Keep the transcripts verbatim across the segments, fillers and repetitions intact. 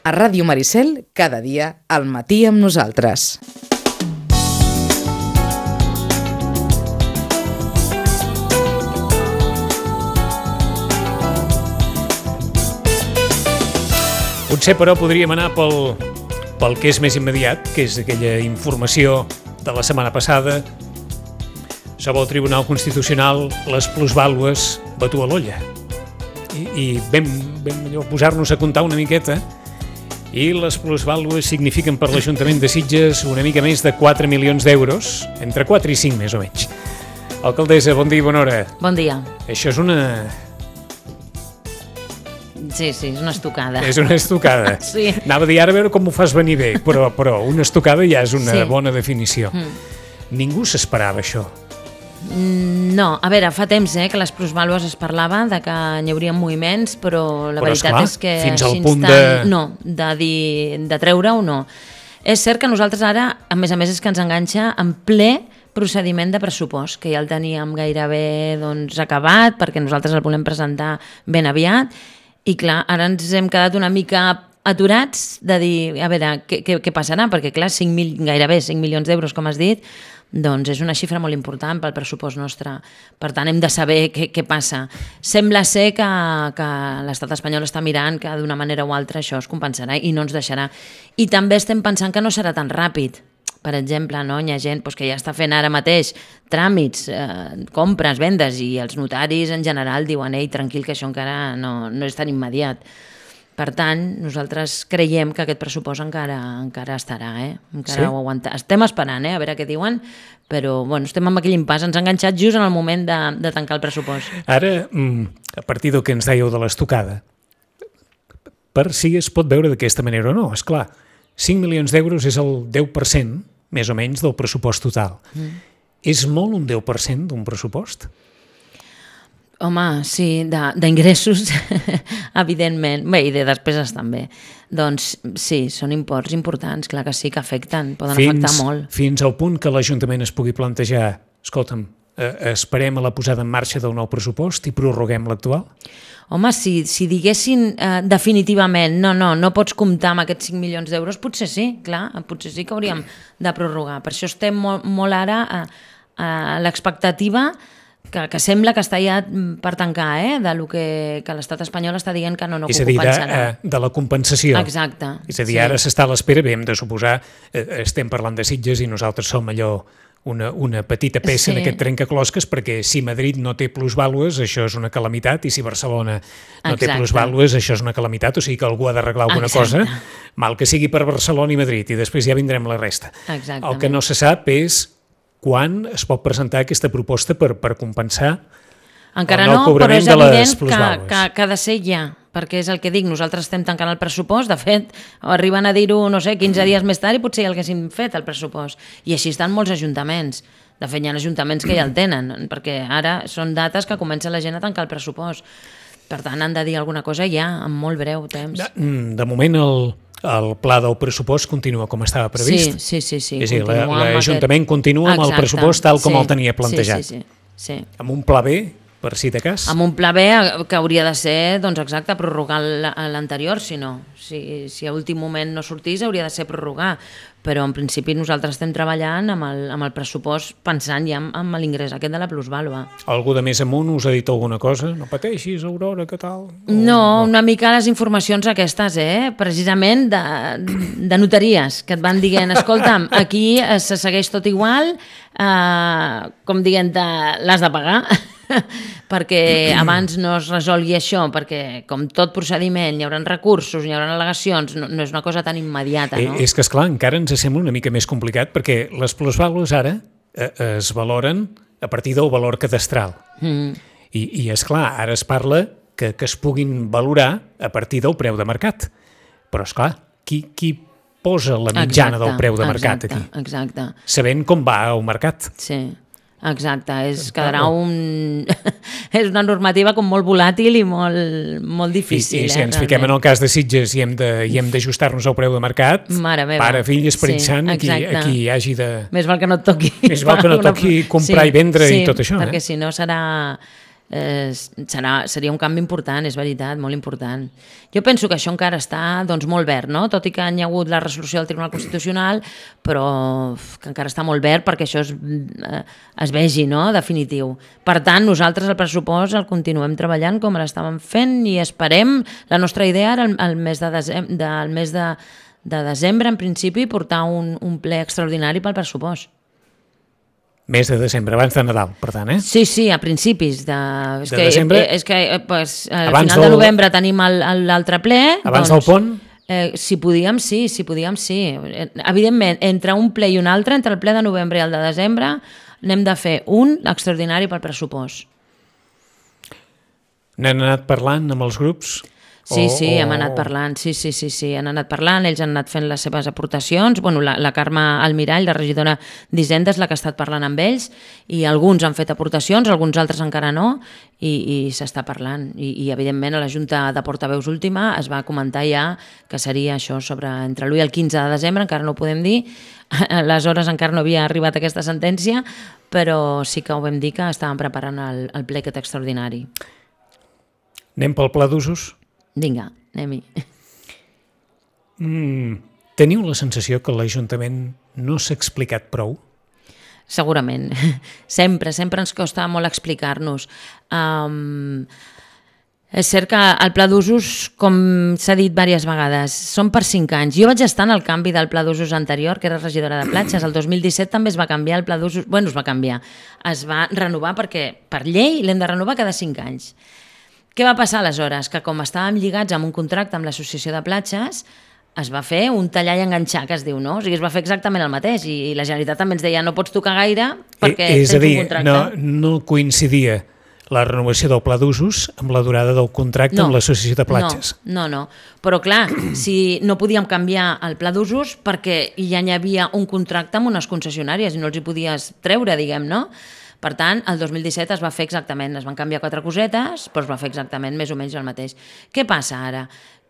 A Ràdio Maricel, cada dia, al matí amb nosaltres. Potser, però, podríem anar pel, pel que és més immediat, que és aquella informació de la setmana passada sobre el Tribunal Constitucional, les plusvàlues batu a l'olla. I, i vam, vam allò, posar-nos a comptar una miqueta, i les plusvàlues signifiquen per l'Ajuntament de Sitges una mica més de quatre milions d'euros, entre quatre i cinc més o menys. Alcaldessa, bon dia i bona hora. Bon dia. Això és una... Sí, sí, és una estocada. És una estocada. Sí. Anava a dir ara a veure com ho fas venir bé, però, però una estocada ja és una sí. bona definició. Mm. Ningú s'esperava això. No, a veure, fa temps eh, que les plusvàlues es parlava de que hi hauria moviments, però la però, veritat esclar, és que fins així al punt tan, de... no, de, dir, de treure-ho no. És cert que nosaltres ara, a més a més, és que ens enganxa en ple procediment de pressupost, que ja el teníem gairebé doncs, acabat, perquè nosaltres el volem presentar ben aviat, i clar, ara ens hem quedat una mica aturats de dir, a veure, què, què, què passarà? Perquè clar, cinc mil, gairebé cinc milions d'euros, com has dit, doncs és una xifra molt important pel pressupost nostre. Per tant, hem de saber què, què passa. Sembla ser que, que l'estat espanyol està mirant que d'una manera o altra això es compensarà i no ens deixarà. I també estem pensant que no serà tan ràpid. Per exemple, no? Hi ha gent doncs, que ja està fent ara mateix tràmits, eh, compres, vendes, i els notaris en general diuen ei, tranquil, que això encara no, no és tan immediat. Per tant, nosaltres creiem que aquest pressupost encara, encara estarà, eh? Encara sí? ho aguanta. Estem esperant, eh? A veure què diuen, però bueno, estem amb aquell impàs, ens ha enganxat just en el moment de, de tancar el pressupost. Ara, a partir del que ens dèieu de l'estocada, per si es pot veure d'aquesta manera o no, és clar, cinc milions d'euros és el deu per cent, més o menys, del pressupost total. Mm. És molt un deu per cent d'un pressupost? Home, sí, d'ingressos, evidentment, bé, i de despeses també. Doncs sí, són imports importants, clar que sí, que afecten, poden fins, afectar molt. Fins al punt que l'Ajuntament es pugui plantejar, escolta'm, eh, esperem a la posada en marxa del nou pressupost i prorroguem l'actual? Home, si, si diguessin eh, definitivament no, no, no pots comptar amb aquests cinc milions d'euros, potser sí, clar, potser sí que hauríem de prorrogar. Per això estem molt, molt ara a, a l'expectativa que, que sembla que està ja per tancar, eh? De lo que, que l'estat espanyol està dient que no, no és que ho compensarà. És a dir, de, de la compensació. Exacte. És a dir, sí. Ara s'està a l'espera, bé, hem de suposar, eh, estem parlant de Sitges i nosaltres som allò una, una petita peça sí. en aquest trencaclosques, perquè si Madrid no té plusvàlues, això és una calamitat, i si Barcelona no Exacte. té plusvàlues, això és una calamitat, o sigui que algú ha d'arreglar alguna Exacte. cosa, mal que sigui per Barcelona i Madrid, i després ja vindrem la resta. Exactament. El que no se sap és quan es pot presentar aquesta proposta per, per compensar encara el nou no, cobrament però és de les evident plusvàlues. Que, que, que ha de ser ja, perquè és el que dic, nosaltres estem tancant el pressupost, de fet, arriben a dir-ho, no sé, quinze dies més tard i potser ja l'haguéssim fet el pressupost. I així estan molts ajuntaments. De fet, hi ha ajuntaments que ja el tenen, perquè ara són dates que comença la gent a tancar el pressupost. Per tant, han de dir alguna cosa ja, en molt breu temps. De, de moment, el... el pla del pressupost continua com estava previst. Sí, sí, sí. sí. És a dir, l'Ajuntament aquest... continua amb Exacte. el pressupost tal com sí. el tenia plantejat. Sí, sí, sí. sí. Amb un pla B, per si de cas? Amb un pla B que hauria de ser, doncs exacte, prorrogar l'anterior, si no. Si, si a últim moment no sortís, hauria de ser prorrogar. Però en principi nosaltres estem treballant amb el, amb el pressupost pensant ja en, en l'ingrés aquest de la plusvàlua. Algú de més amunt us ha dit alguna cosa? No pateixis, Aurora, què tal? O, no, no, una mica les informacions aquestes, eh? Precisament de, de notaries, que et van dient, escolta'm, aquí se segueix tot igual, eh, com dient, l'has de pagar, perquè abans no es resolgui això, perquè com tot procediment hi haurà recursos, hi haurà al·legacions, no, no és una cosa tan immediata, no? Eh, és que, esclar, encara ens sembla una mica més complicat, perquè les plusvàlues ara eh, es valoren a partir del valor cadastral. Mm. I, i esclar, ara es parla que, que es puguin valorar a partir del preu de mercat. Però, esclar, qui, qui posa la mitjana exacte, del preu de mercat exacte, aquí? Exacte. Sabent com va el mercat. Sí. Exacte, és, quedarà un... és una normativa com molt volàtil i molt, molt difícil. I, i si eh, ens fiquem realment. En el cas de Sitges i hem d'ajustar-nos al preu de mercat, mare meva. Pare, fill, Esperit sí, Sant, aquí, aquí hi hagi de... Més val que no et toqui. Més val que no toqui comprar sí, i vendre sí, i tot això. perquè eh? si no serà... eh, serà, seria un canvi important, és veritat, molt important. Jo penso que això encara està doncs, molt verd, no? Tot i que hi ha hagut la resolució del Tribunal Constitucional, però que encara està molt verd perquè això es, eh, es vegi, no? Definitiu. Per tant, nosaltres el pressupost el continuem treballant com l'estàvem fent i esperem, la nostra idea era el, el mes de desembre, del mes de, de desembre, en principi, portar un, un ple extraordinari pel pressupost. Mes de desembre, abans de Nadal, per tant, eh? Sí, sí, a principis de... És de que, desembre. És que pues, al Abans final del... de novembre tenim l'altre ple. Abans doncs, del pont? Eh, si podíem, sí, si podíem, sí. Evidentment, entre un ple i un altre, entre el ple de novembre i el de desembre, n'hem de fer un extraordinari pel pressupost. N'han anat parlant amb els grups? Sí, o, sí, o... hem anat parlant, sí, sí, sí, sí, han anat parlant, ells han anat fent les seves aportacions, bueno, la, la Carme Almirall, la regidora d'Hisenda, és la que ha estat parlant amb ells, i alguns han fet aportacions, alguns altres encara no, i, i s'està parlant, I, i evidentment a la Junta de Portaveus última es va comentar ja que seria això sobre entre l'u i el quinze de desembre, encara no ho podem dir, aleshores encara no havia arribat aquesta sentència, però sí que ho vam dir que estàvem preparant el, el ple aquest extraordinari. Anem pel pla d'usos? Vinga, anem-hi. Mm, teniu la sensació que l'Ajuntament no s'ha explicat prou? Segurament. Sempre, sempre ens costa molt explicar-nos. Um, és cert que el pla d'usos, com s'ha dit diverses vegades, són per cinc anys. Jo vaig estar en el canvi del pla d'usos anterior, que era regidora de platges. El dos mil disset també es va canviar el pla d'usos... Bueno, es va canviar. Es va renovar perquè per llei l'hem de renovar cada cinc anys. Què va passar aleshores? Que com estàvem lligats amb un contracte amb l'Associació de Platges, es va fer un tallar i enganxar, que es diu, no? O sigui, es va fer exactament el mateix i la Generalitat també ens deia no pots tocar gaire perquè és tens a dir, un contracte. No, no coincidia la renovació del pla d'usos amb la durada del contracte no, amb l'Associació de Platges. No, no, no. Però clar, si no podíem canviar el pla d'usos perquè ja hi havia un contracte amb unes concessionàries i no els hi podies treure, diguem, no? Per tant, el dos mil disset es va fer exactament, es van canviar quatre cosetes, però es va fer exactament més o menys el mateix. Què passa ara?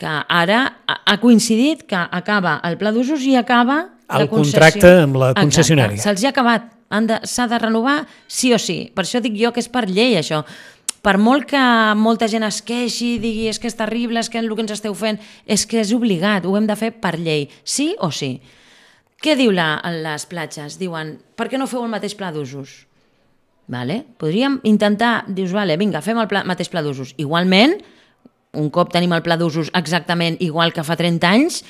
Que ara ha coincidit que acaba el pla d'usos i acaba el la concessió. contracte amb la concessionària. Se'ls ha acabat, s'ha de, de renovar sí o sí. Per això dic jo que és per llei això. Per molt que molta gent es queixi, digui és que és terrible, és que el que ens esteu fent, és que és obligat, ho hem de fer per llei, sí o sí. Què diu la, les platges? Diuen, per què no feu el mateix pla d'usos? Vale? Podríem intentar, dius, vale, vinga, fem el pla, mateix pla d'usos. Igualment, un cop tenim el pla d'usos exactament igual que fa trenta anys,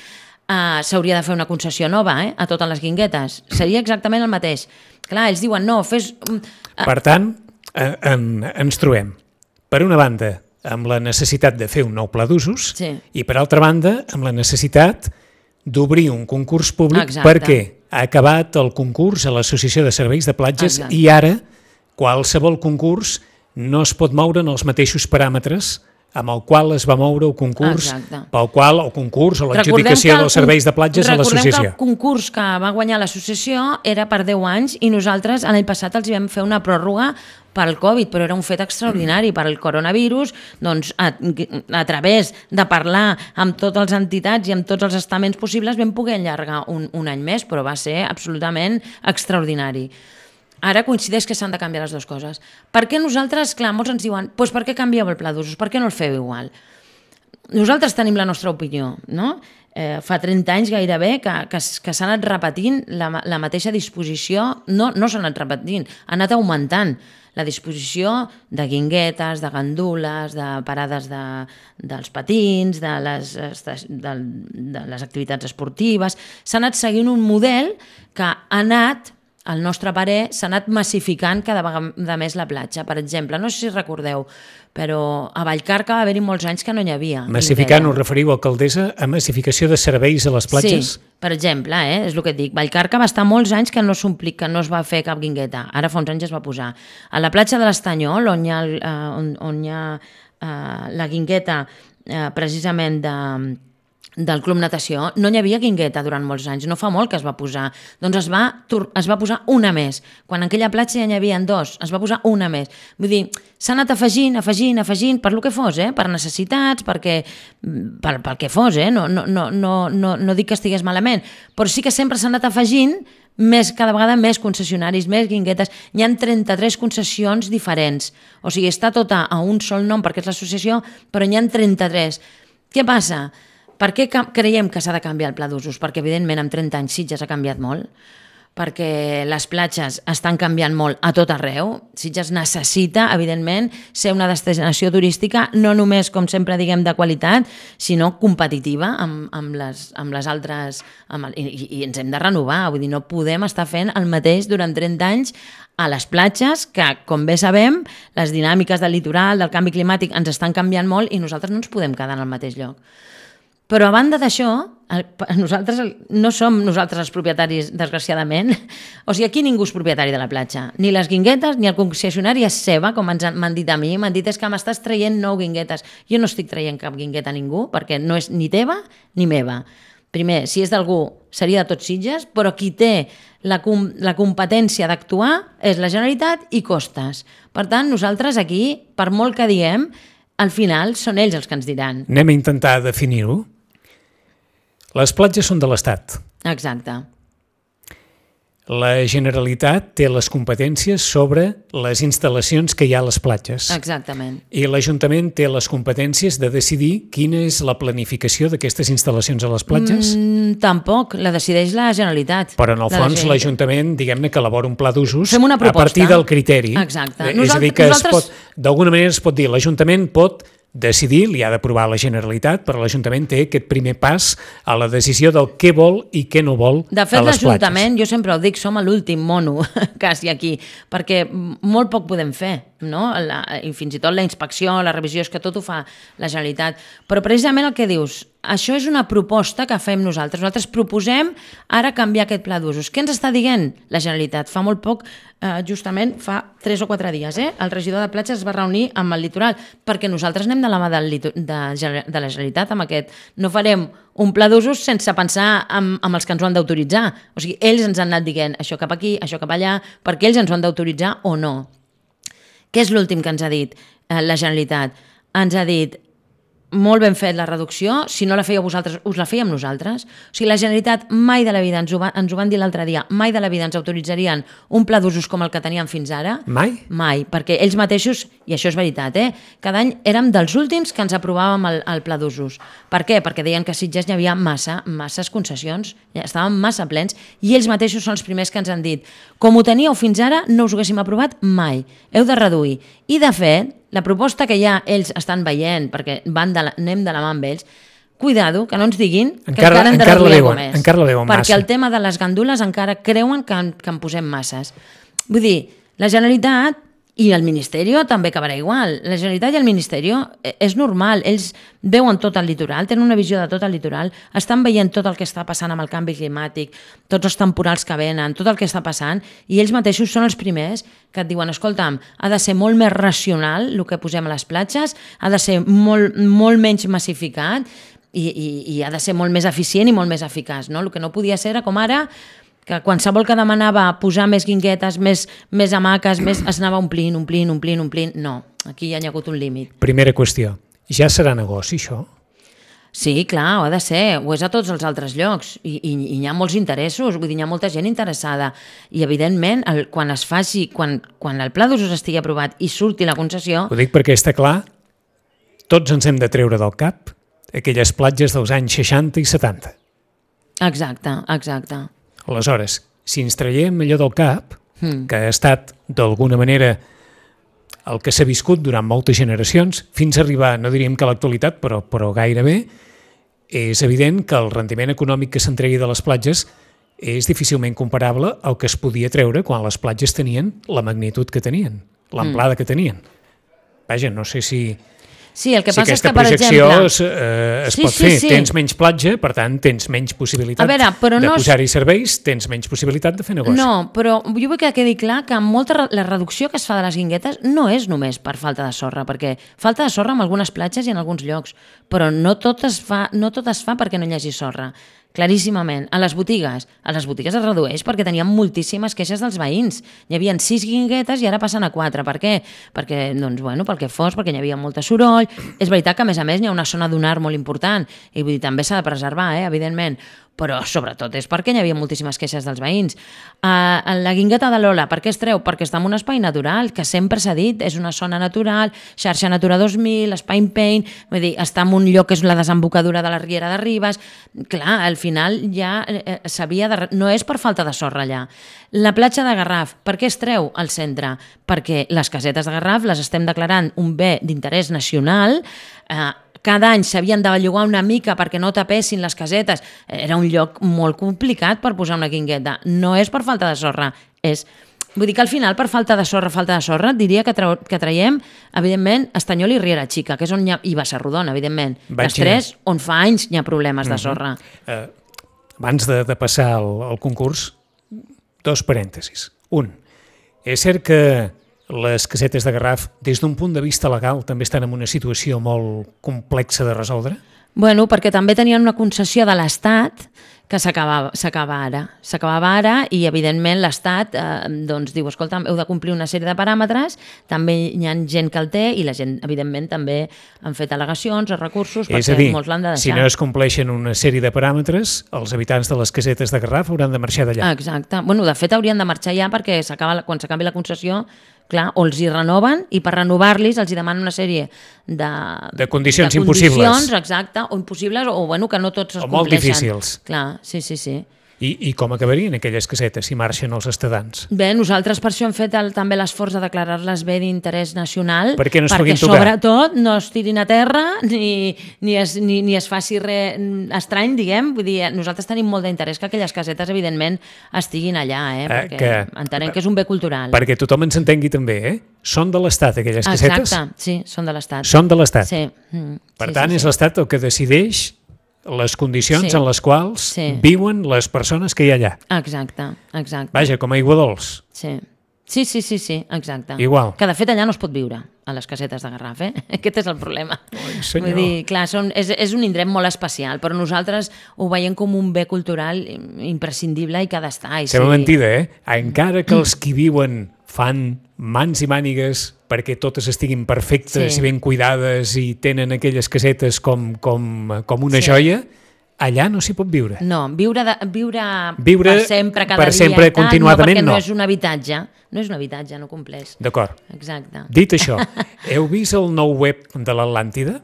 eh, s'hauria de fer una concessió nova eh, a totes les guinguetes. Seria exactament el mateix. Clar, ells diuen, no, fes... Eh. Per tant, en, en, ens trobem, per una banda, amb la necessitat de fer un nou pla d'usos sí. i, per altra banda, amb la necessitat d'obrir un concurs públic. Exacte. Perquè ha acabat el concurs a l'Associació de Serveis de Platges. Exacte. I ara qualsevol concurs no es pot moure en els mateixos paràmetres amb el qual es va moure el concurs, Exacte. pel qual el concurs o l'adjudicació dels serveis de platges a l'associació. Recordem que el concurs que va guanyar l'associació era per deu anys i nosaltres l'any passat els vam fer una pròrroga pel Covid, però era un fet extraordinari per al coronavirus, doncs a, a través de parlar amb totes les entitats i amb tots els estaments possibles vam poder allargar un, un any més, però va ser absolutament extraordinari. Ara coincideix que s'han de canviar les dues coses. Per què nosaltres, clar, molts ens diuen doncs per què canvieu el pla d'usos, per què no el feu igual? Nosaltres tenim la nostra opinió, no? Eh, fa trenta anys gairebé que, que, que s'ha anat repetint la, la mateixa disposició, no, no s'ha anat repetint, ha anat augmentant la disposició de guinguetes, de gandules, de parades de, dels patins, de les, de, de les activitats esportives. S'ha anat seguint un model que ha anat, al nostre parer, s'ha anat massificant cada vegada més la platja. Per exemple, no sé si recordeu, però a Vallcarca va haver-hi molts anys que no n'hi havia. Massificant, us referiu, alcaldessa, a massificació de serveis a les platges? Sí, per exemple, eh, és el que et dic. Vallcarca va estar molts anys que no s'ompli, que no es va fer cap guingueta. Ara fa uns anys es va posar. A la platja de l'Estanyol, on hi ha, eh, on, on hi ha eh, la guingueta eh, precisament de... del Club Natació, no hi havia guingueta durant molts anys, no fa molt que es va posar. Doncs es va, es va posar una més. Quan en aquella platja ja n'hi havia dos, es va posar una més. Vull dir, s'ha anat afegint, afegint, afegint, per lo que fos, eh? Per necessitats, perquè, per, pel que fos, eh? No, no, no, no, no, no dic que estigués malament, però sí que sempre s'ha anat afegint més, cada vegada més concessionaris, més guinguetes. Hi ha trenta-tres concessions diferents. O sigui, està tota a un sol nom perquè és l'associació, però n'hi ha trenta-tres. Què passa? Per què creiem que s'ha de canviar el pla d'usos? Perquè, evidentment, en trenta anys Sitges ha canviat molt, perquè les platges estan canviant molt a tot arreu. Sitges necessita, evidentment, ser una destinació turística no només, com sempre diguem, de qualitat, sinó competitiva amb, amb, les, amb les altres... Amb el, i, I ens hem de renovar, vull dir, no podem estar fent el mateix durant trenta anys a les platges, que, com bé sabem, les dinàmiques del litoral, del canvi climàtic, ens estan canviant molt i nosaltres no ens podem quedar en el mateix lloc. Però a banda d'això, nosaltres no som nosaltres els propietaris, desgraciadament. O sigui, aquí ningú és propietari de la platja. Ni les guinguetes, ni el concessionari és seva, com m'han dit a mi. M'han dit, és que m'estàs traient nou guinguetes. Jo no estic traient cap guingueta a ningú, perquè no és ni teva ni meva. Primer, si és d'algú, seria de tots Sitges, però qui té la, com la competència d'actuar és la Generalitat i Costes. Per tant, nosaltres aquí, per molt que diem, al final són ells els que ens diran. Anem a intentar definir-ho. Les platges són de l'Estat. Exacte. La Generalitat té les competències sobre les instal·lacions que hi ha a les platges. Exactament. I l'Ajuntament té les competències de decidir quina és la planificació d'aquestes instal·lacions a les platges? Mm, tampoc, la decideix la Generalitat. Però en el fons l'Ajuntament, diguem-ne, que elabora un pla d'usos a partir del criteri. Exacte. És a dir, que nosaltres... d'alguna manera es pot dir, l'Ajuntament pot decidir, li ha d'aprovar la Generalitat, però l'Ajuntament té aquest primer pas a la decisió del què vol i què no vol a les platges. De fet, l'Ajuntament, jo sempre ho dic, som l'últim mono quasi aquí, perquè molt poc podem fer, no? La, i fins i tot la inspecció, la revisió, és que tot ho fa la Generalitat. Però precisament el que dius, això és una proposta que fem nosaltres. Nosaltres proposem ara canviar aquest pla d'usos. Què ens està dient la Generalitat? Fa molt poc, eh, justament fa tres o quatre dies, eh, el regidor de platges es va reunir amb el litoral, perquè nosaltres anem de la mà del, de, de la Generalitat amb aquest. No farem un pla d'usos sense pensar amb, amb els que ens ho han d'autoritzar. O sigui, ells ens han anat dient això cap aquí, això cap allà, perquè ells ens ho han d'autoritzar o no. Què és l'últim que ens ha dit eh, la Generalitat? Ens ha dit, molt ben fet la reducció, si no la fèieu vosaltres, us la fèiem nosaltres. O sigui, la Generalitat mai de la vida, ens ho, va, ens ho van dir l'altre dia, mai de la vida ens autoritzarien un pla d'usos com el que teníem fins ara. Mai? Mai, perquè ells mateixos, i això és veritat, eh, cada any érem dels últims que ens aprovàvem el, el pla d'usos. Per què? Perquè deien que a Sitges hi havia massa, masses concessions, ja estàvem massa plens, i ells mateixos són els primers que ens han dit, com ho teníeu fins ara, no us ho haguéssim aprovat mai, heu de reduir. I de fet, la proposta que ja ells estan veient, perquè van de la, anem de la mà amb ells, cuidado, que no ens diguin que encara, encara hem de reduir alguna més. Encara la veuen massa. Perquè el tema de les gandules encara creuen que en, que en posem masses. Vull dir, la Generalitat i el Ministeri també acabarà igual. La Generalitat i el Ministeri és normal, ells veuen tot el litoral, tenen una visió de tot el litoral, estan veient tot el que està passant amb el canvi climàtic, tots els temporals que venen, tot el que està passant, i ells mateixos són els primers que et diuen, escolta'm, ha de ser molt més racional el que posem a les platges, ha de ser molt, molt menys massificat i, i, i ha de ser molt més eficient i molt més eficaç. No? El que no podia ser era com ara, que qualsevol que demanava posar més guinguetes, més, més hamaques, més, es anava omplint, omplint, omplint, omplint. No, aquí hi ha hagut un límit. Primera qüestió, ja serà negoci això? Sí, clar, ho ha de ser, ho és a tots els altres llocs i, i, i hi ha molts interessos, vull dir, hi ha molta gent interessada i evidentment el, quan es faci, quan, quan el pla d'usos estigui aprovat i surti la concessió... Ho dic perquè està clar, tots ens hem de treure del cap aquelles platges dels anys seixanta i setanta. Exacte, exacte. Aleshores, si ens traiem allò del cap, mm. que ha estat d'alguna manera el que s'ha viscut durant moltes generacions, fins a arribar, no diríem que a l'actualitat, però, però gairebé, és evident que el rendiment econòmic que s'entregui de les platges és difícilment comparable al que es podia treure quan les platges tenien la magnitud que tenien, l'amplada mm. que tenien. Vaja, no sé si... Sí, el que si passa és que, per exemple... es, eh, es sí, pot sí, fer. Sí. Tens menys platja, per tant, tens menys possibilitat veure, de no posar-hi és... serveis, tens menys possibilitat de fer negoci. No, però jo vull que quedi clar que molta, la reducció que es fa de les guinguetes no és només per falta de sorra, perquè falta de sorra en algunes platges i en alguns llocs, però no tot es fa, no tot es fa perquè no hi hagi sorra. Claríssimament. A les botigues. A les botigues es redueix perquè teníem moltíssimes queixes dels veïns. Hi havia sis guinguetes i ara passen a quatre. Per què? Perquè, doncs, bueno, pel que fos, perquè hi havia molta soroll. És veritat que, a més a més, hi ha una zona dunar molt important i vull dir, també s'ha de preservar, eh, evidentment. però sobretot és perquè hi havia moltíssimes queixes dels veïns. Uh, la Guingueta de l'Ola, per què es treu? Perquè està en un espai natural, que sempre s'ha dit, és una zona natural, xarxa Natura dos mil, espai Paint, vull dir, està en un lloc que és la desembocadura de la Riera de Ribes. Clar, al final ja eh, s'havia de... No és per falta de sorra allà. La platja de Garraf, per què es treu al centre? Perquè les casetes de Garraf les estem declarant un bé d'interès nacional, eh, cada any s'havien de bellugar una mica perquè no tapessin les casetes. Era un lloc molt complicat per posar una guingueta. No és per falta de sorra, és... Vull dir que al final, per falta de sorra, falta de sorra, diria que, tra que traiem, evidentment, Estanyol i Riera Xica, que és on hi ha... i Bassarrodona, evidentment. Vaig les tres, on fa anys hi ha problemes de sorra. Uh -huh. uh, abans de, de passar al, al concurs, dos parèntesis. Un, és cert que les casetes de Garraf, des d'un punt de vista legal, també estan en una situació molt complexa de resoldre? Bueno, perquè també tenien una concessió de l'Estat que s'acaba ara. S'acabava ara i, evidentment, l'Estat eh, doncs, diu, escolta, heu de complir una sèrie de paràmetres, també hi ha gent que el té i la gent, evidentment, també han fet al·legacions o recursos és perquè a dir, molts l'han de deixar. Si no es compleixen una sèrie de paràmetres, els habitants de les casetes de Garraf hauran de marxar d'allà. Exacte. Bueno, de fet, haurien de marxar ja perquè quan s'acabi la concessió, clar, o els hi renoven i per renovar-los els hi demanen una sèrie de, de condicions de impossibles. Condicions, exacte, o impossibles, o bueno, que no tots es o molt compleixen. difícils. Clar, sí, sí, sí. I, I com acabarien aquelles casetes si marxen els estadants? Bé, nosaltres per això hem fet el, també l'esforç de declarar-les bé d'interès nacional, perquè, no es perquè tocar. sobretot no es tirin a terra ni, ni, es, ni, ni es faci res estrany, diguem. Vull dir, nosaltres tenim molt d'interès que aquelles casetes, evidentment, estiguin allà, eh? perquè eh, que, entenem que és un bé cultural. Perquè tothom ens entengui també, eh? Són de l'Estat, aquelles casetes? Exacte, sí, són de l'Estat. Són de l'Estat. Sí. Mm, per sí, tant, sí, és sí. l'Estat el que decideix les condicions sí. en les quals sí. viuen les persones que hi ha allà. Exacte, exacte. Vaja, com a aigua dolç. Sí. Sí, sí, sí, sí, exacte. Igual. Que de fet allà no es pot viure, a les casetes de Garraf, eh? Aquest és el problema. Ai, senyor. Vull dir, clar, són, és, és un indret molt especial, però nosaltres ho veiem com un bé cultural imprescindible i que ha d'estar. Sembla sí. mentida, eh? Encara que els qui viuen fan mans i mànigues perquè totes estiguin perfectes sí. i ben cuidades i tenen aquelles casetes com, com, com una sí. joia, allà no s'hi pot viure. No, viure, de, viure, viure per sempre, cada per dia sempre, i tal, continuadament, no, perquè no. no és un habitatge, no és un habitatge, no compleix. D'acord. Exacte. Dit això, heu vist el nou web de l'Atlàntida?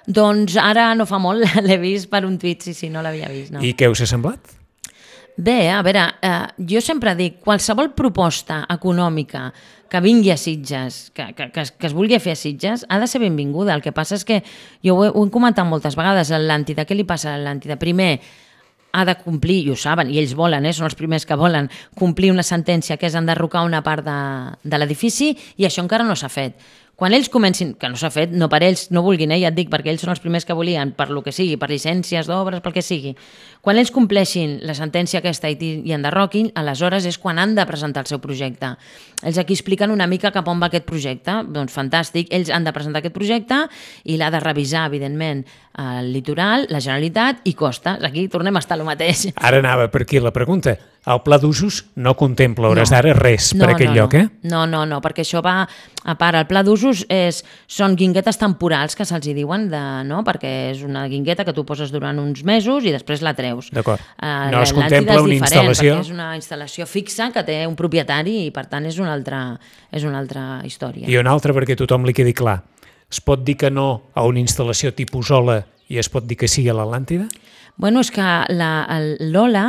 Doncs ara no fa molt, l'he vist per un tuit, sí, sí, no l'havia vist. No. I què us ha semblat? Bé, a veure, eh, jo sempre dic, qualsevol proposta econòmica que vingui a Sitges, que, que, que, es, que es vulgui fer a Sitges, ha de ser benvinguda. El que passa és que, jo ho he, ho he comentat moltes vegades, l'Atlàntida, què li passa a l'Atlàntida? Primer, ha de complir, i ho saben, i ells volen, eh, són els primers que volen, complir una sentència que és enderrocar una part de, de l'edifici, i això encara no s'ha fet. Quan ells comencin, que no s'ha fet, no per ells, no vulguin, eh, ja et dic, perquè ells són els primers que volien, per lo que sigui, per llicències d'obres, pel que sigui. Quan ells compleixin la sentència aquesta i, i enderroquin, aleshores és quan han de presentar el seu projecte. Ells aquí expliquen una mica cap on va aquest projecte, doncs fantàstic, ells han de presentar aquest projecte i l'ha de revisar, evidentment, el litoral, la Generalitat i Costes. Aquí tornem a estar el mateix. Ara anava per aquí la pregunta. El pla d'usos no contempla hores No. d'ara res No, per aquell no, lloc, no. eh? No, no, no, perquè això va a part. El pla d'usos és, són guinguetes temporals que se'ls hi diuen, de, no? perquè és una guingueta que tu poses durant uns mesos i després la treus. D'acord. Uh, No es contempla una instal·lació? És una instal·lació fixa que té un propietari i per tant és una altra, és una altra història. I una altra perquè a tothom li quedi clar. Es pot dir que no a una instal·lació tipus Ola i es pot dir que sí a l'Atlàntida? Bueno, és que l'Ola,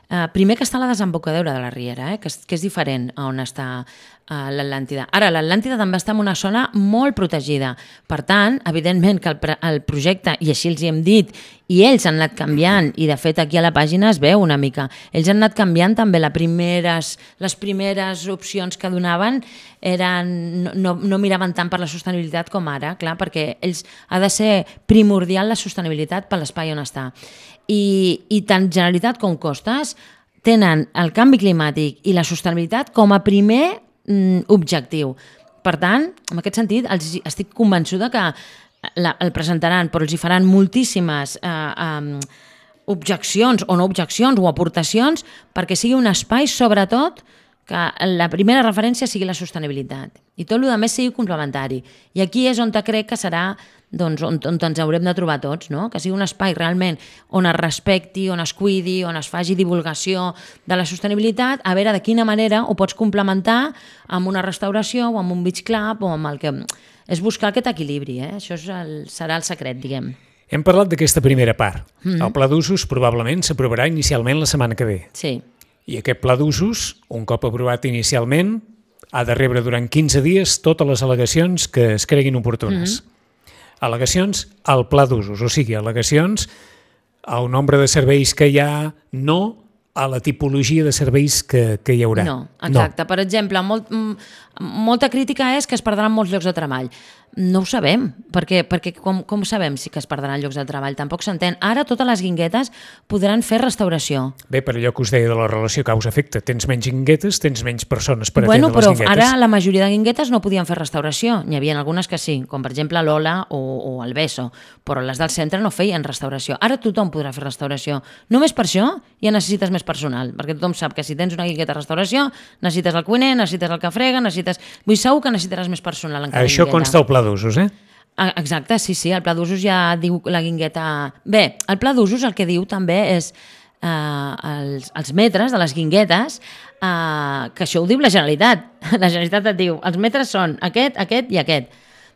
eh, primer que està a la desembocadura de la Riera, eh, que, és, que és diferent a on està eh, l'Atlàntida. Ara, l'Atlàntida també està en una zona molt protegida. Per tant, evidentment que el, el projecte, i així els hi hem dit, i ells han anat canviant, i de fet aquí a la pàgina es veu una mica, ells han anat canviant també les primeres, les primeres opcions que donaven eren, no, no, no miraven tant per la sostenibilitat com ara, clar, perquè ells ha de ser primordial la sostenibilitat per l'espai on està. I, i tant Generalitat com Costes tenen el canvi climàtic i la sostenibilitat com a primer mm, objectiu. Per tant, en aquest sentit, els, estic convençuda que la, el presentaran, però els hi faran moltíssimes eh, eh, objeccions o no objeccions o aportacions perquè sigui un espai, sobretot, que la primera referència sigui la sostenibilitat i tot el que més sigui complementari. I aquí és on crec que serà doncs, on, on ens haurem de trobar tots, no? Que sigui un espai realment on es respecti, on es cuidi, on es faci divulgació de la sostenibilitat, a veure de quina manera ho pots complementar amb una restauració o amb un beach club o amb el que... És buscar aquest equilibri, eh? Això és el, serà el secret, diguem. Hem parlat d'aquesta primera part. Mm-hmm. El pla d'usos probablement s'aprovarà inicialment la setmana que ve. Sí. I aquest pla d'usos, un cop aprovat inicialment, ha de rebre durant quinze dies totes les al·legacions que es creguin oportunes. Mm-hmm. Al·legacions al pla d'usos, o sigui, al·legacions al nombre de serveis que hi ha, no a la tipologia de serveis que, que hi haurà. No, exacte. No. Per exemple, molt, molta crítica és que es perdran molts llocs de treball. No ho sabem, perquè, perquè com, com sabem si que es perdran llocs de treball? Tampoc s'entén. Ara totes les guinguetes podran fer restauració. Bé, per allò que us deia de la relació causa-efecte, tens menys guinguetes, tens menys persones per bueno, atendre les guinguetes. Bueno, però ara la majoria de guinguetes no podien fer restauració. N'hi havia algunes que sí, com per exemple l'Ola o, o el Beso, però les del centre no feien restauració. Ara tothom podrà fer restauració. Només per això ja necessites més personal, perquè tothom sap que si tens una guingueta de restauració necessites el cuiner, necessites el que frega, necessites... Vull segur que necessitaràs més personal en cada Això guingueta. consta al pla d'usos, eh? Exacte, sí, sí, el pla d'usos ja diu la guingueta... Bé, el pla d'usos el que diu també és eh, els, els metres de les guinguetes, eh, que això ho diu la Generalitat. La Generalitat et diu, els metres són aquest, aquest i aquest.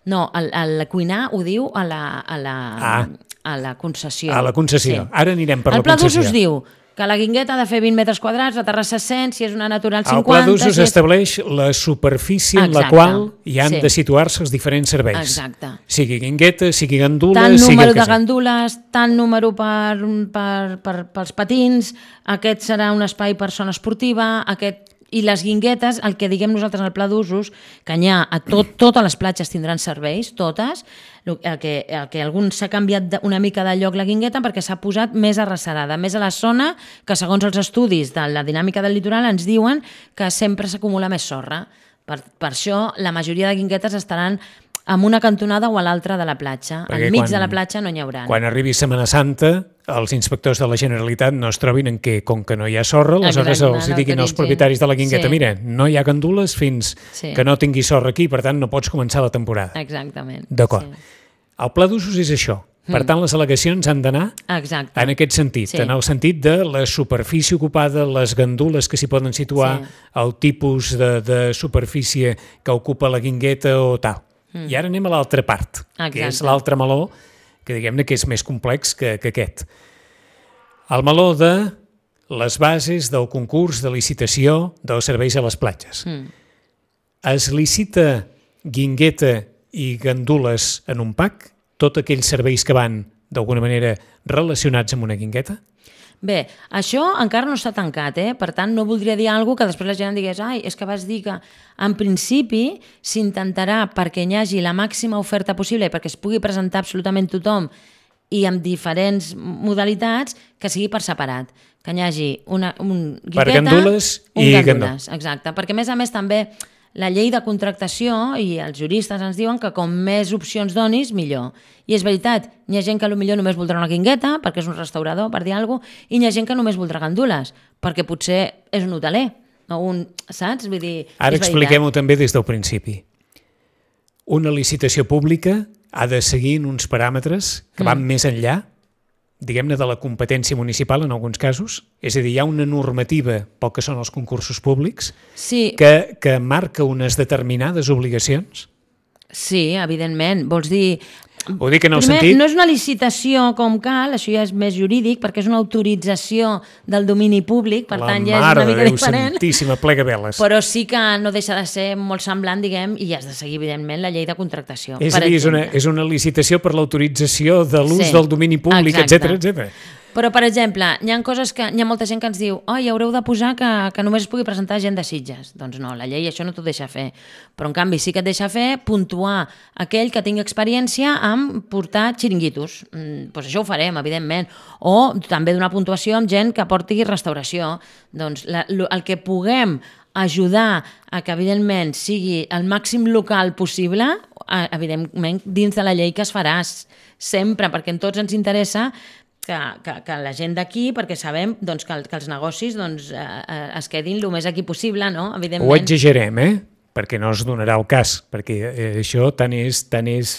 No, el, el cuinar ho diu a la, a la, ah. a la concessió. A la concessió. Sí. Ara anirem per el la concessió. El pla d'usos diu que la guingueta ha de fer vint metres quadrats, la terrassa cent, si és una natural cinquanta... El pla d'usos si és... estableix la superfície en Exacte, la qual hi han sí. de situar-se els diferents serveis. Exacte. Sigui guingueta, sigui gandula, tant sigui número el que de gandules, tant número per, per, per, pels patins, aquest serà un espai per zona esportiva, aquest... I les guinguetes, el que diguem nosaltres al pla d'usos, que n'hi ha a tot, totes les platges tindran serveis, totes, el que, el que algun s'ha canviat una mica de lloc la guingueta perquè s'ha posat més arrecerada, més a la zona que segons els estudis de la dinàmica del litoral ens diuen que sempre s'acumula més sorra. Per, per això la majoria de guinguetes estaran en una cantonada o a l'altra de la platja. Perquè enmig quan, de la platja no n'hi haurà. Quan arribi Setmana Santa, els inspectors de la Generalitat no es trobin en què, com que no hi ha sorra, aleshores els no diguin als propietaris de la guingueta, sí. Mira, no hi ha gandules fins sí. que no tingui sorra aquí, per tant no pots començar la temporada. Exactament. D'acord. Sí. El pla d'usos és això. Per tant, les al·legacions han d'anar Exacte. en aquest sentit, sí. en el sentit de la superfície ocupada, les gandules que s'hi poden situar, sí. el tipus de, de superfície que ocupa la guingueta o tal. Mm. I ara anem a l'altra part, Exacte. que és l'altre meló, que diguem-ne que és més complex que, que aquest. El meló de les bases del concurs de licitació dels serveis a les platges. Mm. Es licita guingueta i gandules en un pack? Tots aquells serveis que van, d'alguna manera, relacionats amb una guingueta? Bé, això encara no està tancat, eh? Per tant, no voldria dir alguna cosa que després la gent digués ai, és que vas dir que en principi s'intentarà perquè hi hagi la màxima oferta possible i perquè es pugui presentar absolutament tothom i amb diferents modalitats, que sigui per separat. Que hi hagi una, un guingueta... Per gandules un i gandules. Exacte, perquè a més a més també la llei de contractació i els juristes ens diuen que com més opcions donis, millor. I és veritat, hi ha gent que potser només voldrà una guingueta, perquè és un restaurador, per dir alguna cosa, i hi ha gent que només voldrà gandules, perquè potser és un hoteler, o un, saps? Vull dir, ara expliquem-ho també des del principi. Una licitació pública ha de seguir uns paràmetres que van mm. més enllà, diguem-ne, de la competència municipal en alguns casos. És a dir, hi ha una normativa pel que són els concursos públics sí. que, que marca unes determinades obligacions? Sí, evidentment. Vols dir... Ho dic en el Primer, sentit... no és una licitació com cal, això ja és més jurídic, perquè és una autorització del domini públic, per la tant ja és una mica Déu diferent. Santíssima, plega veles. Però sí que no deixa de ser molt semblant, diguem, i has de seguir, evidentment, la llei de contractació. És a dir, és una, és una licitació per l'autorització de l'ús sí, del domini públic, etcètera, etcètera. Però, per exemple, hi ha coses que hi ha molta gent que ens diu oi, haureu de posar que, que només es pugui presentar gent de Sitges. Doncs no, la llei això no t'ho deixa fer. Però, en canvi, sí que et deixa fer puntuar aquell que tingui experiència en portar xiringuitos. Mm, doncs això ho farem, evidentment. O també donar puntuació amb gent que porti restauració. Doncs la, el que puguem ajudar a que, evidentment, sigui el màxim local possible, evidentment, dins de la llei que es faràs sempre, perquè en tots ens interessa Que, que, que la gent d'aquí, perquè sabem doncs, que, el, que els negocis doncs, eh, es quedin el més aquí possible, no? Evidentment. Ho exagerem, eh? Perquè no es donarà el cas, perquè eh, això tant és, tant és,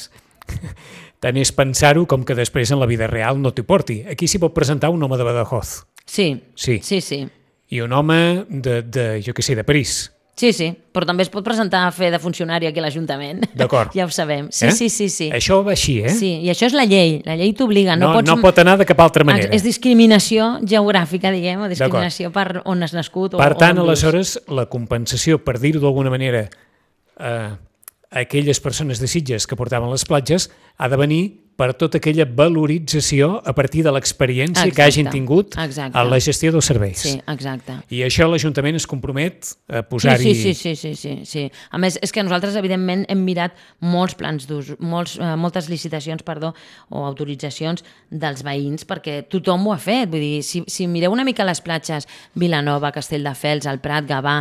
tant és pensar-ho com que després en la vida real no t'hi porti. Aquí s'hi pot presentar un home de Badajoz. Sí, Sí. sí, sí. I un home de, de jo què sé, de París. Sí, sí, però també es pot presentar a fer de funcionari aquí a l'Ajuntament. D'acord. Ja ho sabem. Sí, Eh? sí, sí, sí. Això va així, eh? Sí, i això és la llei. La llei t'obliga. No, No, pots... no pot anar de cap altra manera. És discriminació geogràfica, diguem, o discriminació per on has nascut. Per o, tant, o on vius. aleshores, la compensació, per dir-ho d'alguna manera, a aquelles persones de Sitges que portaven les platges, ha de venir per tota aquella valorització a partir de l'experiència que hagin Exacte, tingut exacte. a la gestió dels serveis. Sí, exacte. I això l'Ajuntament es compromet a Sí, posar-hi... sí, sí, sí, sí, sí, sí. A més, és que nosaltres, evidentment, hem mirat molts plans d'ús, molts, eh, moltes licitacions, perdó, o autoritzacions dels veïns, perquè tothom ho ha fet. Vull dir, si, si mireu una mica les platges, Vilanova, Castelldefels, el Prat, Gavà,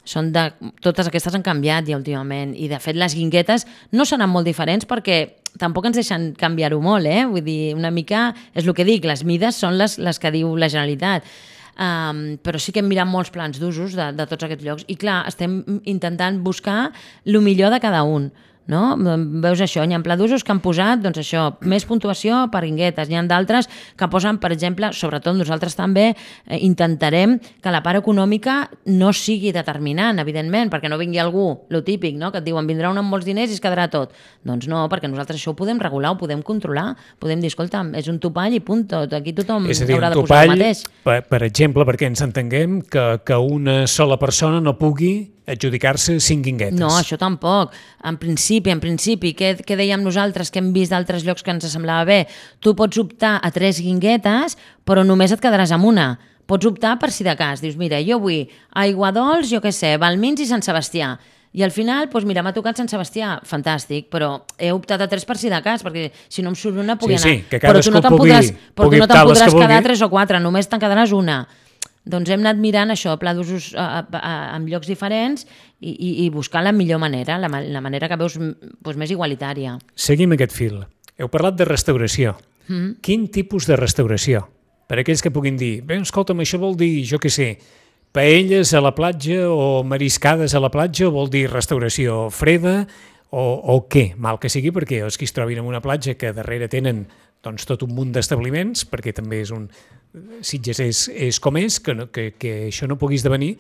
són de, totes aquestes han canviat ja últimament, i de fet les guinguetes no seran molt diferents perquè tampoc ens deixen canviar-ho molt, eh? Vull dir, una mica, és el que dic, les mides són les, les que diu la Generalitat. Um, però sí que hem mirat molts plans d'usos de, de tots aquests llocs i clar, estem intentant buscar el millor de cada un. No? Veus això, hi ha pla d'usos que han posat doncs això, més puntuació per guinguetes, n'hi ha d'altres que posen, per exemple, sobretot nosaltres també eh, intentarem que la part econòmica no sigui determinant, evidentment, perquè no vingui algú, lo típic, no? Que et diuen vindrà un amb molts diners i es quedarà tot. Doncs no, perquè nosaltres això ho podem regular, ho podem controlar, podem dir, escolta, és un topall i punt, tot, aquí tothom És a dir, haurà un de posar el topall, mateix. per, per exemple, perquè ens entenguem que, que una sola persona no pugui adjudicar-se cinc guinguetes. No, això tampoc. En principi, en principi, què, què dèiem nosaltres que hem vist d'altres llocs que ens semblava bé? Tu pots optar a tres guinguetes, però només et quedaràs amb una. Pots optar per si de cas. Dius, mira, jo vull Aiguadols, jo què sé, Valmins i Sant Sebastià. I al final, doncs mira, m'ha tocat Sant Sebastià, fantàstic, però he optat a tres per si de cas, perquè si no em surt una, pugui Sí, anar. sí, que però tu no te'n cadascú podràs, pugui- però pugui tu no optar te'n les que podràs quedar vulgui. tres o quatre, només te'n quedaràs una. Doncs hem anat mirant això, pla d'usos a, a, a, en llocs diferents i, i, i buscar la millor manera, la, ma- la manera que veus doncs, més igualitària. Seguim aquest fil. Heu parlat de restauració. Mm. Quin tipus de restauració? Per aquells que puguin dir, bé, escolta'm, això vol dir, jo què sé, paelles a la platja o mariscades a la platja, o vol dir restauració freda o, o què? Mal que sigui, perquè els que es trobin en una platja que darrere tenen doncs, tot un munt d'establiments, perquè també és un... Sitges és, és com és, que, no, que, que això no pugui esdevenir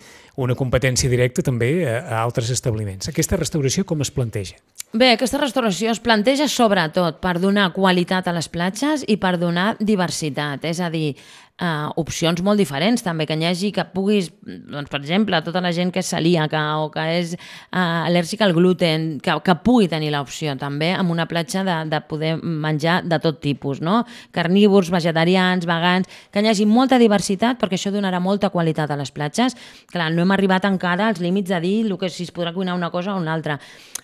una competència directa també a, a altres establiments. Aquesta restauració com es planteja? Bé, aquesta restauració es planteja sobretot per donar qualitat a les platges i per donar diversitat, és a dir, Uh, opcions molt diferents també, que n'hi hagi que puguis, doncs, per exemple, tota la gent que és celíaca o que és uh, al·lèrgica al gluten, que, que pugui tenir l'opció també amb una platja de, de poder menjar de tot tipus, no? Carnívors, vegetarians, vegans, que n'hi hagi molta diversitat perquè això donarà molta qualitat a les platges. Clar, no hem arribat encara als límits de dir el que si es podrà cuinar una cosa o una altra.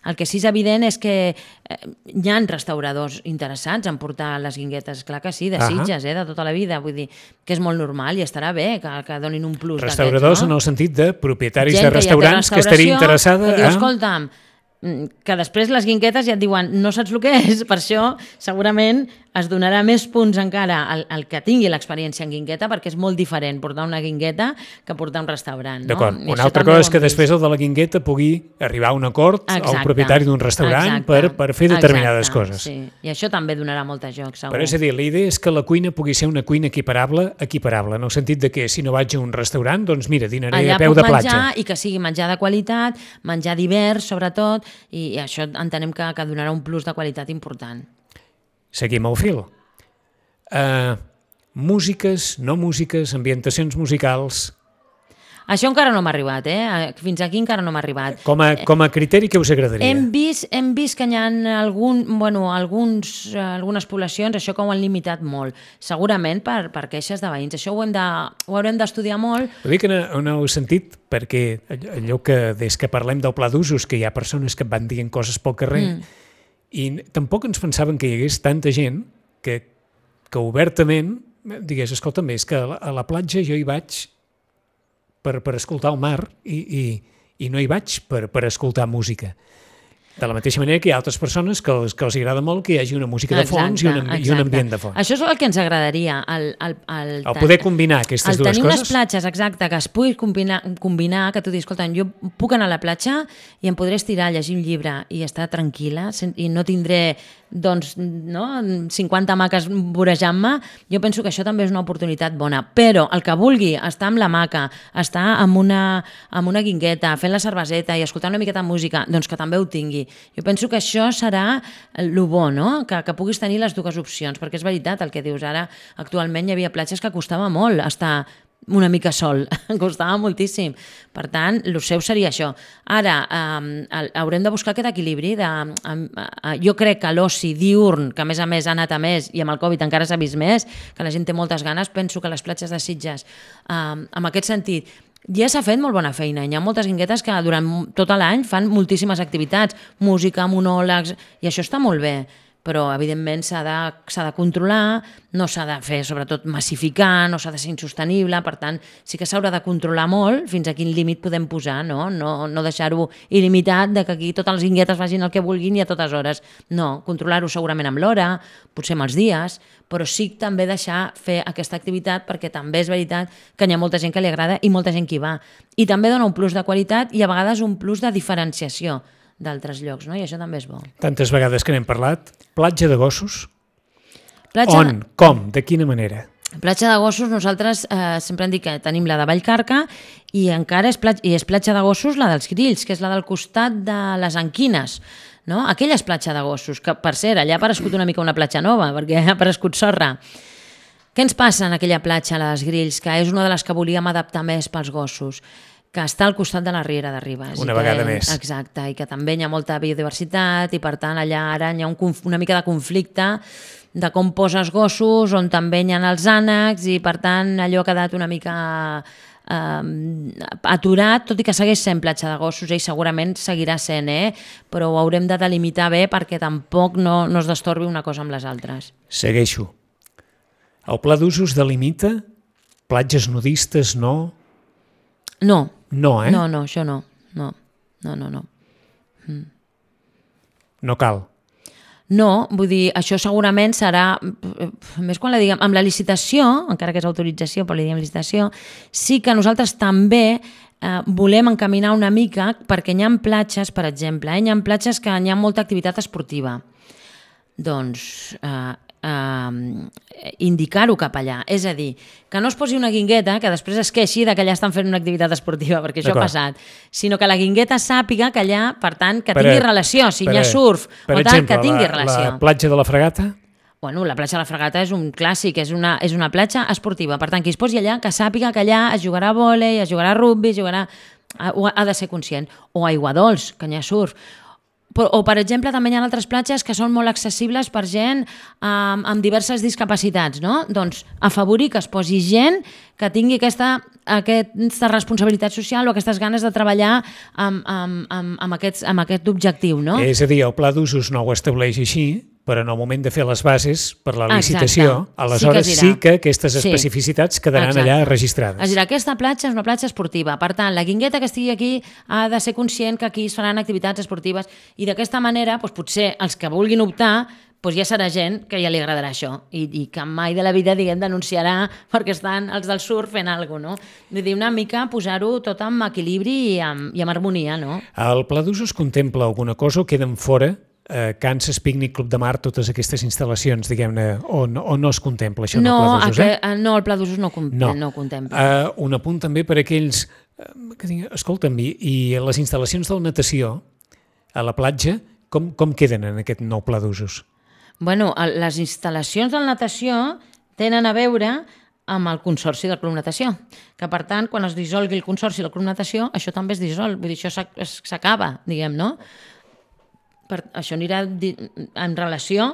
El que sí és evident és que eh, hi ha restauradors interessats en portar les guinguetes, clar que sí, de Sitges, eh, de tota la vida, vull dir que és molt normal i estarà bé que, que donin un plus d'aquests, no? Restauradors en el sentit de propietaris Gent de restaurants que, que estaria interessada que diu, a... escolta'm, que després les guinguetes ja et diuen no saps el que és, per això segurament es donarà més punts encara al, al que tingui l'experiència en guingueta, perquè és molt diferent portar una guingueta que portar un restaurant. D'acord, No? una altra cosa és que després el de la guingueta pugui arribar a un acord Exacte. al propietari d'un restaurant per, per fer determinades Exacte, coses. Sí. I això també donarà molt de joc, segur. Però és a dir, la idea és que la cuina pugui ser una cuina equiparable, equiparable, en el sentit de que si no vaig a un restaurant, doncs mira, dinaré allà a peu puc de platja. menjar i que sigui menjar de qualitat, menjar divers, sobretot, i, i això entenem que, que donarà un plus de qualitat important. Seguim el fil. Uh, músiques, no músiques, ambientacions musicals... Això encara no m'ha arribat, eh? Fins aquí encara no m'ha arribat. Com a, com a criteri, què us agradaria? Hem vist, hem vist que hi ha algun, bueno, alguns, eh, algunes poblacions, això que ho han limitat molt. Segurament per, per queixes de veïns. Això ho, hem de, ho haurem d'estudiar molt. Ho dic en, en el sentit perquè allò que des que parlem del pla d'usos, que hi ha persones que van dient coses pel carrer, mm. i tampoc ens pensaven que hi hagués tanta gent que, que obertament digués, escolta'm, és que a la, a la platja jo hi vaig per, per escoltar el mar i, i, i no hi vaig per, per escoltar música. De la mateixa manera que hi ha altres persones que els, que els agrada molt que hi hagi una música de fons exacte, i, un, i un ambient de fons. Això és el que ens agradaria. El, el, el, el poder combinar aquestes dues coses. El tenir unes platges, exacte, que es pugui combinar, combinar que tu diguis, escolta, jo puc anar a la platja i em podré estirar, llegir un llibre i estar tranquil·la i no tindré doncs, no, cinquanta maques vorejant-me. Jo penso que això també és una oportunitat bona. Però el que vulgui estar amb la maca, estar amb una, amb una guingueta, fent la cerveseta i escoltant una miqueta de música, doncs que també ho tingui. Jo penso que això serà el bo, no? Que, que puguis tenir les dues opcions, perquè és veritat el que dius ara. Actualment hi havia platges que costava molt estar una mica sol, costava moltíssim. Per tant, el seu seria això. Ara, eh, haurem de buscar aquest equilibri. De, eh, eh, jo crec que l'oci diurn, que a més a més ha anat a més, i amb el Covid encara s'ha vist més, que la gent té moltes ganes, penso que les platges de Sitges, eh, en aquest sentit, ja s'ha fet molt bona feina. Hi ha moltes guinguetes que durant tot l'any fan moltíssimes activitats, música, monòlegs, i això està molt bé. Però, evidentment, s'ha de, s'ha de controlar, no s'ha de fer, sobretot, massificar, no s'ha de ser insostenible, per tant, sí que s'haurà de controlar molt fins a quin límit podem posar, no, no, no deixar-ho il·limitat, de que aquí totes les guinguetes vagin el que vulguin i a totes hores. No, controlar-ho segurament amb l'hora, potser amb els dies, però sí també deixar fer aquesta activitat perquè també és veritat que hi ha molta gent que li agrada i molta gent que hi va. I també dona un plus de qualitat i a vegades un plus de diferenciació d'altres llocs, no? I això també és bo. Tantes vegades que n'hem parlat. Platja de gossos? Platja On? de... Com? De quina manera? Platja de gossos, nosaltres eh, sempre hem dit que tenim la de Vallcarca i encara és platja, i és platja de gossos la dels Grills, que és la del costat de les Anquines, no? Aquella és platja de gossos, que per cert, allà ha aparegut una mica una platja nova, perquè ha aparegut sorra. Què ens passa en aquella platja, la dels Grills, que és una de les que volíem adaptar més pels gossos? Que està al costat de la Riera de Ribes. Una vegada que, més. Exacte, i que també hi ha molta biodiversitat i per tant allà ara hi ha un, una mica de conflicte de com poses gossos, on també hi ha els ànecs i per tant allò ha quedat una mica eh, aturat, tot i que segueix sent platja de gossos i segurament seguirà sent, eh? Però ho haurem de delimitar bé perquè tampoc no, no es destorbi una cosa amb les altres. Segueixo. El pla d'usos delimita platges nudistes, no? No. No, eh? No, no, això no. No, no, no. no. Mm. No cal. No, vull dir, això segurament serà, més quan la diguem, amb la licitació, encara que és autorització, però li diguem licitació, sí que nosaltres també eh, volem encaminar una mica, perquè hi ha platges, per exemple, eh, hi ha platges que hi ha molta activitat esportiva. Doncs eh, Uh, indicar-ho cap allà, és a dir, que no es posi una guingueta que després es queixi de que allà estan fent una activitat esportiva, perquè això ha passat, sinó que la guingueta sàpiga que allà, per tant, que tingui per, relació, si hi ha surf o exemple, tal, que tingui la, relació. La platja de la Fragata? Bueno, la platja de la Fragata és un clàssic, és una, és una platja esportiva, per tant, qui es posi allà, que sàpiga que allà es jugarà a vòlei, es jugarà a rugby, es jugarà... ha de ser conscient, o a aiguadols, que hi ha surf. O, per exemple, també hi ha altres platges que són molt accessibles per gent amb, amb diverses discapacitats, no? Doncs afavorir que es posi gent que tingui aquesta, aquesta responsabilitat social o aquestes ganes de treballar amb, amb, amb, amb, aquests, amb aquest objectiu, no? És a dir, el pla d'usos no ho estableix així, però en el moment de fer les bases per la licitació, exacte, aleshores sí que, sí que aquestes especificitats sí, quedaran exacte, allà registrades. És a dir, aquesta platja és una platja esportiva, per tant, la guingueta que estigui aquí ha de ser conscient que aquí es faran activitats esportives i d'aquesta manera, doncs, potser els que vulguin optar doncs ja serà gent que ja li agradarà això i, i que mai de la vida, diguem, denunciarà perquè estan els del surf fent alguna cosa, no? Vull dir, una mica posar-ho tot amb equilibri i amb, i amb harmonia, no? El pla d'usos contempla alguna cosa o queden fora eh, Kansas Picnic Club de Mar, totes aquestes instal·lacions, diguem-ne, o, no, o no es contempla això no, en el pla d'usos? Eh? A, no, el pla d'usos no, no. no contempla. Uh, un apunt també per aquells uh, que diguin, escolta'm, i, i les instal·lacions de la natació a la platja, com, com queden en aquest nou pla d'usos? Bueno, les instal·lacions de la natació tenen a veure amb el consorci del Club Natació, que per tant, quan es dissolgui el consorci del Club Natació, això també es dissol, vull dir, això s'acaba, diguem, no? Per, això anirà en relació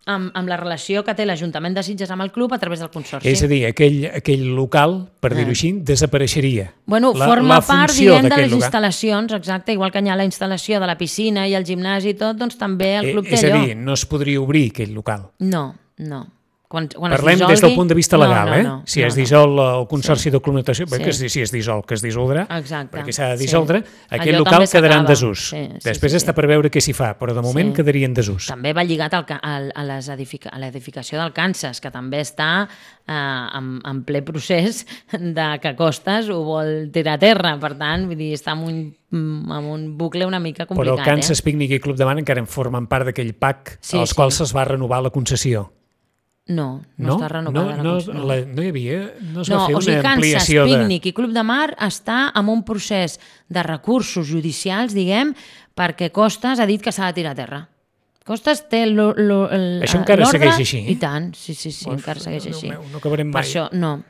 amb, amb la relació que té l'Ajuntament de Sitges amb el club a través del consorci. És a dir, aquell, aquell local, per dir-ho així, desapareixeria. Bueno, la, forma la part, diguem, de les local. instal·lacions, exacte, igual que hi ha la instal·lació de la piscina i el gimnàs i tot, doncs també el club eh, té allò. És allò. a dir, no es podria obrir aquell local. No, no. Quan, quan Parlem es dissolgui... des del punt de vista legal, no, no, eh? no, si no, es no. dissol el Consorci Sí. de Comunicació, bé, Sí. que si es dissol, que es dissoldrà, Exacte. perquè s'ha de Sí. dissoldre, aquest Allò local també quedarà en s'acaba. desús. Sí, sí, Després sí, està sí. per veure què s'hi fa, però de moment Sí. quedaria en desús. També va lligat al, ca- al, a, les edifica, a l'edificació del Kansas, que també està eh, en, en ple procés de que Costas ho vol tirar a terra. Per tant, vull dir, està en un, en un bucle una mica complicat. Però el Kansas eh? Picnic i Club de Mar encara en formen part d'aquell P A C Sí, als sí. quals es va renovar la concessió. No, no, No? està renovada. No, no, la, cons- la, no hi havia, no es va No, fer o sigui, una Kansas, ampliació de... Picnic i Club de Mar està en un procés de recursos judicials, diguem, perquè Costas ha dit que s'ha de tirar a terra. Costas té lo, lo, el, Això encara l'ordre- segueix així? I tant, sí, sí, sí, Uf, encara segueix Déu així. meu, no acabarem Per mai. això, no.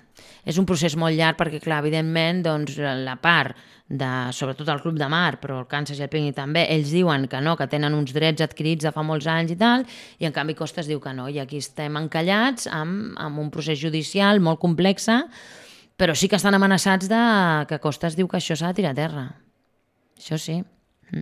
És un procés molt llarg perquè, clar, evidentment, doncs, la part de, sobretot el Club de Mar, però el Kansas i el Picnic també, ells diuen que no, que tenen uns drets adquirits de fa molts anys i tal, i en canvi Costas diu que no, i aquí estem encallats amb, amb un procés judicial molt complex, però sí que estan amenaçats de que Costas diu que això s'ha de tirar a terra. Això sí.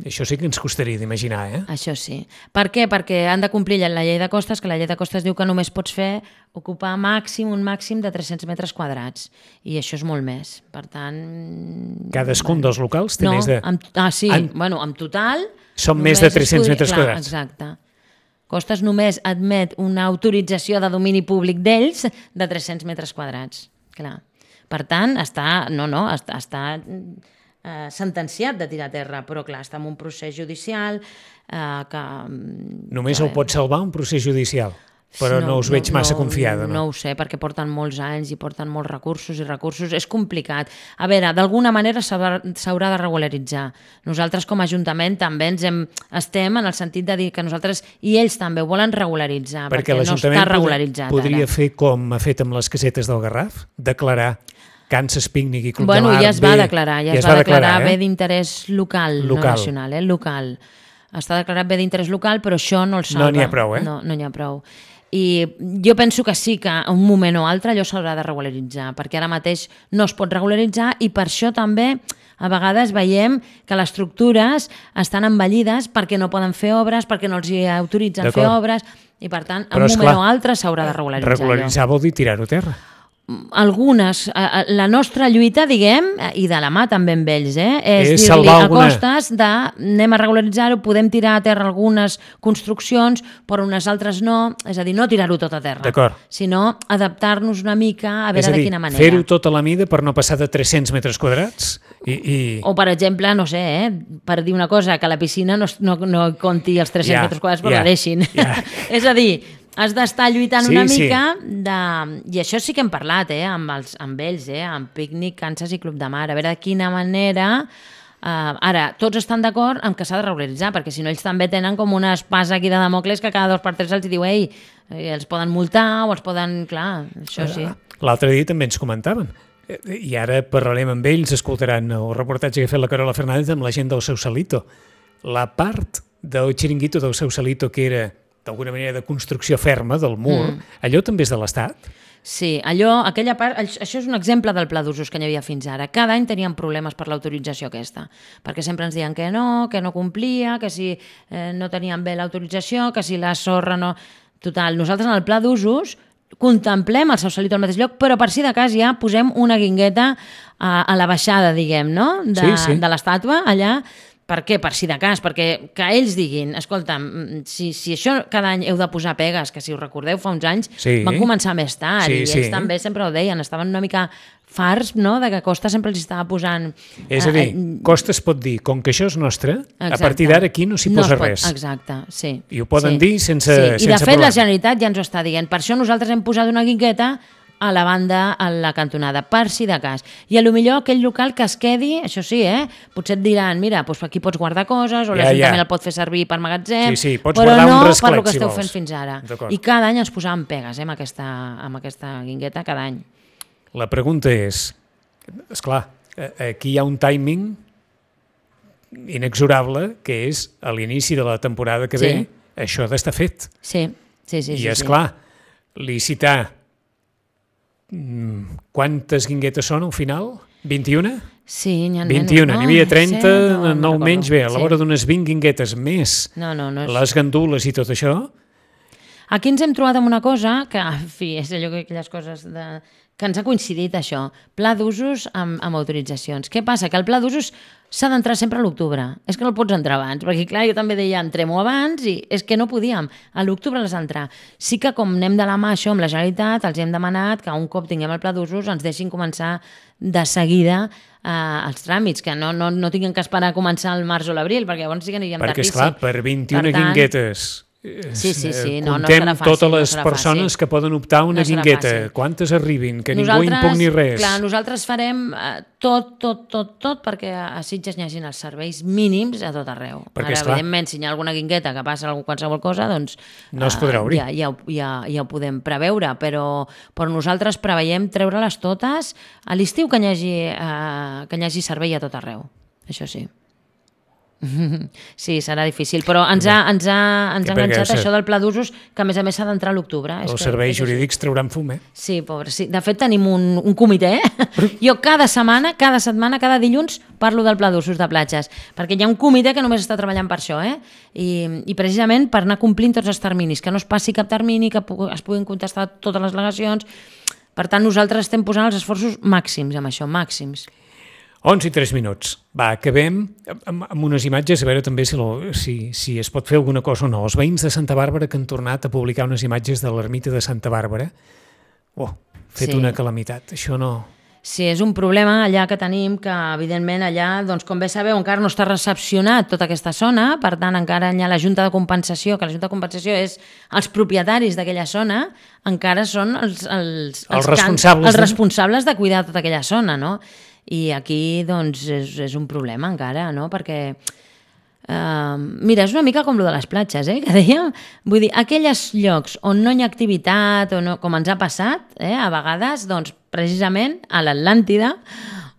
Això sí que ens costaria d'imaginar, eh? Això sí. Per què? Perquè han de complir la llei de costes, que la llei de costes diu que només pots fer ocupar màxim un màxim de tres-cents metres quadrats. I això és molt més. Per tant... Cadascun bueno, dels locals té no, més de... amb, ah, sí, En- bueno, en total... Són només més de es tres-cents podria- metres clar, quadrats. Exacte. Costes només admet una autorització de domini públic d'ells de tres-cents metres quadrats. Clar. Per tant, està... No, no, està... està eh, sentenciat de tirar a terra, però clar, està en un procés judicial eh, que... Només que, el pot salvar un procés judicial, però no, no us veig massa confiada, no? No ho sé, perquè porten molts anys i porten molts recursos i recursos. És complicat. A veure, d'alguna manera s'haurà s'haurà de regularitzar. Nosaltres com a Ajuntament també ens hem, estem en el sentit de dir que nosaltres i ells també ho volen regularitzar, Perquè, perquè, no l'Ajuntament està regularitzat podria ara. fer com ha fet amb les casetes del Garraf, declarar Kansas Picnic i Club Bueno, de Mar ja es va bé, declarar, ja, ja es va declarar, eh? bé d'interès local, Local. no nacional, eh? Local. Està declarat bé d'interès local, però això no el salva. No n'hi ha prou, eh? No, no n'hi ha prou. I jo penso que sí que a un moment o altre allò s'haurà de regularitzar, perquè ara mateix no es pot regularitzar i per això també a vegades veiem que les estructures estan envellides perquè no poden fer obres, perquè no els hi autoritzen fer obres i per tant, en Però, un esclar, moment o altre s'haurà de regularitzar allò. Regularitzar vol dir tirar-ho a terra. Algunes, la nostra lluita, diguem, i de la mà també amb ells, eh, és, És dir-li salvar a alguna- costes de anem a regularitzar-ho, podem tirar a terra algunes construccions, però unes altres no, és a dir, no tirar-ho tot a terra, D'acord. sinó adaptar-nos una mica a És veure a dir, de quina manera. fer-ho tot a la mida per no passar de tres-cents metres quadrats i... i... O, per exemple, no sé, eh, per dir una cosa, que la piscina no, no, no compti els tres-cents Ja, metres quadrats, però ja, la deixin. ja. És a dir, has d'estar lluitant Sí, una sí. mica de... I això sí que hem parlat, eh, amb, els, amb ells, eh, amb Picnic, Kansas i Club de Mar, a veure de quina manera... Uh, ara, tots estan d'acord amb que s'ha de regularitzar, perquè si no ells també tenen com una espasa aquí de Damocles que cada dos per tres els diu, ei, eh, els poden multar o els poden... Clar, això sí. L'altre dia també ens comentaven, i ara parlarem amb ells, escoltaran el reportatge que ha fet la Carola Fernández amb la gent del Sausalito. La part del xiringuito del Sausalito que era d'alguna manera de construcció ferma del mur, mm. allò també és de l'Estat? Sí, allò, aquella part, això és un exemple del pla d'usos que hi havia fins ara. Cada any teníem problemes per l'autorització aquesta, perquè sempre ens diuen que no, que no complia, que si eh, no teníem bé l'autorització, que si la sorra no... Total, nosaltres en el pla d'usos contemplem el Sausalito al mateix lloc, però per si de cas ja posem una guingueta a, a la baixada, diguem, no? De, Sí, sí. de l'estàtua, allà. Per què? Per si de cas, perquè que ells diguin, escolta'm, si, si això cada any heu de posar pegues, que si us recordeu fa uns anys Sí. van començar més tard Sí, i sí. ells també sempre ho deien, estaven una mica farts, no?, de que Costa sempre els estava posant... És a dir, Costa es pot dir, com que això és nostre, a partir d'ara aquí no s'hi No es posa pot- res. Exacte, sí. I ho poden sí. dir sense- sí. I de sense fet problema. la Generalitat ja ens ho està dient. Per això nosaltres hem posat una guingueta a la banda, a la cantonada, per si de cas. I a lo millor aquell local que es quedi, això sí, eh? Potser et diran, mira, doncs aquí pots guardar coses, o Ja, l'Ajuntament ja. el pot fer servir per magatzem, Sí, sí, pots però guardar un no rasclet, per lo que si esteu vols. fent fins ara. D'acord. I cada any ens posàvem pegues, eh, amb aquesta, amb aquesta guingueta, cada any. La pregunta és, esclar, aquí hi ha un timing inexorable, que és a l'inici de la temporada que Sí. ve, això ha d'estar fet. Sí, sí, sí. I sí, és sí. clar, licitar mm, quantes guinguetes són al final? vint-i-una? Sí, n'hi ha vint-i-una, menys, n'hi havia no? trenta, Sí, no, no nou recordo. menys, bé, a la Sí. vora d'unes vint guinguetes més No, no, no és... les gandules i tot això, Aquí ens hem trobat amb una cosa que, en fi, és allò que aquelles coses de... que ens ha coincidit això, pla d'usos amb, amb autoritzacions. Què passa? Que el pla d'usos s'ha d'entrar sempre a l'octubre. És que no el pots entrar abans, perquè clar, jo també deia entrem-ho abans i és que no podíem. A l'octubre l'has d'entrar. Sí que com anem de la mà això amb la Generalitat, els hem demanat que un cop tinguem el pla d'usos ens deixin començar de seguida eh, els tràmits, que no, no, no tinguin que esperar a començar el març o l'abril, perquè llavors sí que aniríem perquè, tardíssim. Perquè, esclar, per vint-i-una per tant, guinguetes... Sí, sí, sí. No, comptem no fàcil, totes les no persones fàcil. que poden optar a una no guingueta. Quantes arribin? Que nosaltres, ningú impugni res. Clar, nosaltres farem eh, tot, tot, tot, tot perquè a Sitges n'hi hagin els serveis mínims a tot arreu. Perquè, Ara, esclar, evidentment, si hi ha alguna guingueta que passa qualsevol cosa, doncs... No es podrà obrir. Eh, ja, ja, ja, ja ho podem preveure, però, però nosaltres preveiem treure-les totes a l'estiu que n'hi hagi, eh, que n'hi hagi servei a tot arreu. Això sí. Sí, serà difícil, però ens ha, ens ha, ens ha enganxat això del pla d'usos, que a més a més s'ha d'entrar a l'octubre. Els serveis jurídics trauran fum, eh? Sí, pobre, sí. De fet tenim un, un comitè, eh? Jo cada setmana, cada setmana, cada dilluns parlo del pla d'usos de platges, perquè hi ha un comitè que només està treballant per això, eh? I, i precisament per anar complint tots els terminis, que no es passi cap termini, que es puguin contestar totes les al·legacions. Per tant, nosaltres estem posant els esforços màxims amb això, màxims. onze i tres minuts. Va, acabem amb, amb unes imatges, a veure també si, lo, si, si es pot fer alguna cosa o no. Els veïns de Santa Bàrbara que han tornat a publicar unes imatges de l'ermita de Santa Bàrbara. Oh, fet sí. Una calamitat. Això no... Sí, és un problema allà que tenim, que evidentment allà, doncs, com bé sabeu, encara no està recepcionat tota aquesta zona, per tant encara hi ha la Junta de Compensació, que la Junta de Compensació és els propietaris d'aquella zona, encara són els, els, els, els, responsables, els responsables de cuidar tota aquella zona, no? I aquí, doncs, és, és un problema encara, no? Perquè, uh, mira, és una mica com lo de les platges, eh? Que dèiem, vull dir, aquells llocs on no hi ha activitat, o no, com ens ha passat, eh? A vegades, doncs, precisament a l'Atlàntida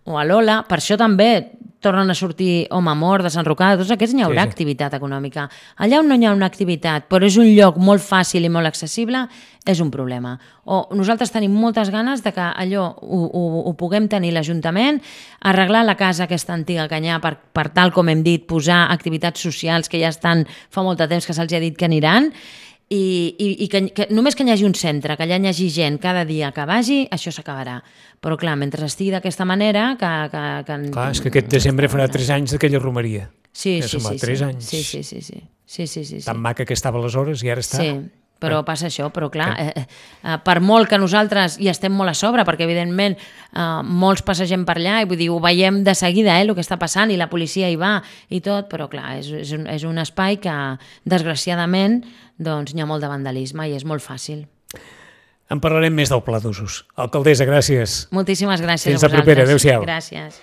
o a l'Ola, per això també tornen a sortir Home Mort, de Sant Rocada, tots aquests n'hi haurà sí, sí. activitat econòmica. Allà on no hi ha una activitat, però és un lloc molt fàcil i molt accessible, és un problema. O nosaltres tenim moltes ganes de que allò ho, ho, ho puguem tenir l'Ajuntament, arreglar la casa aquesta antiga que hi ha per, per tal com hem dit, posar activitats socials que ja estan fa molt de temps que se'ls ha dit que aniran, i, i, i que, que només que hi hagi un centre, que allà hi hagi gent cada dia que vagi, això s'acabarà. Però clar, mentre estigui d'aquesta manera... Que, que, que... Clar, és que aquest desembre farà tres anys d'aquella romeria. Sí, sí, sí. Tres sí. anys. Sí, sí, sí, sí. sí, sí, sí, sí. Tan maca que estava aleshores i ara està... Sí, però passa això, però clar, eh, eh, per molt que nosaltres hi estem molt a sobre, perquè evidentment eh, molts passegem per allà, i vull dir, ho veiem de seguida, eh, el que està passant, i la policia hi va i tot, però clar, és, és, un, és un espai que, desgraciadament, doncs n'hi ha molt de vandalisme i és molt fàcil. En parlarem més del pla d'usos. Alcaldessa, gràcies. Moltíssimes gràcies Fins a vosaltres. Fins la propera. Adéu-siau. Gràcies.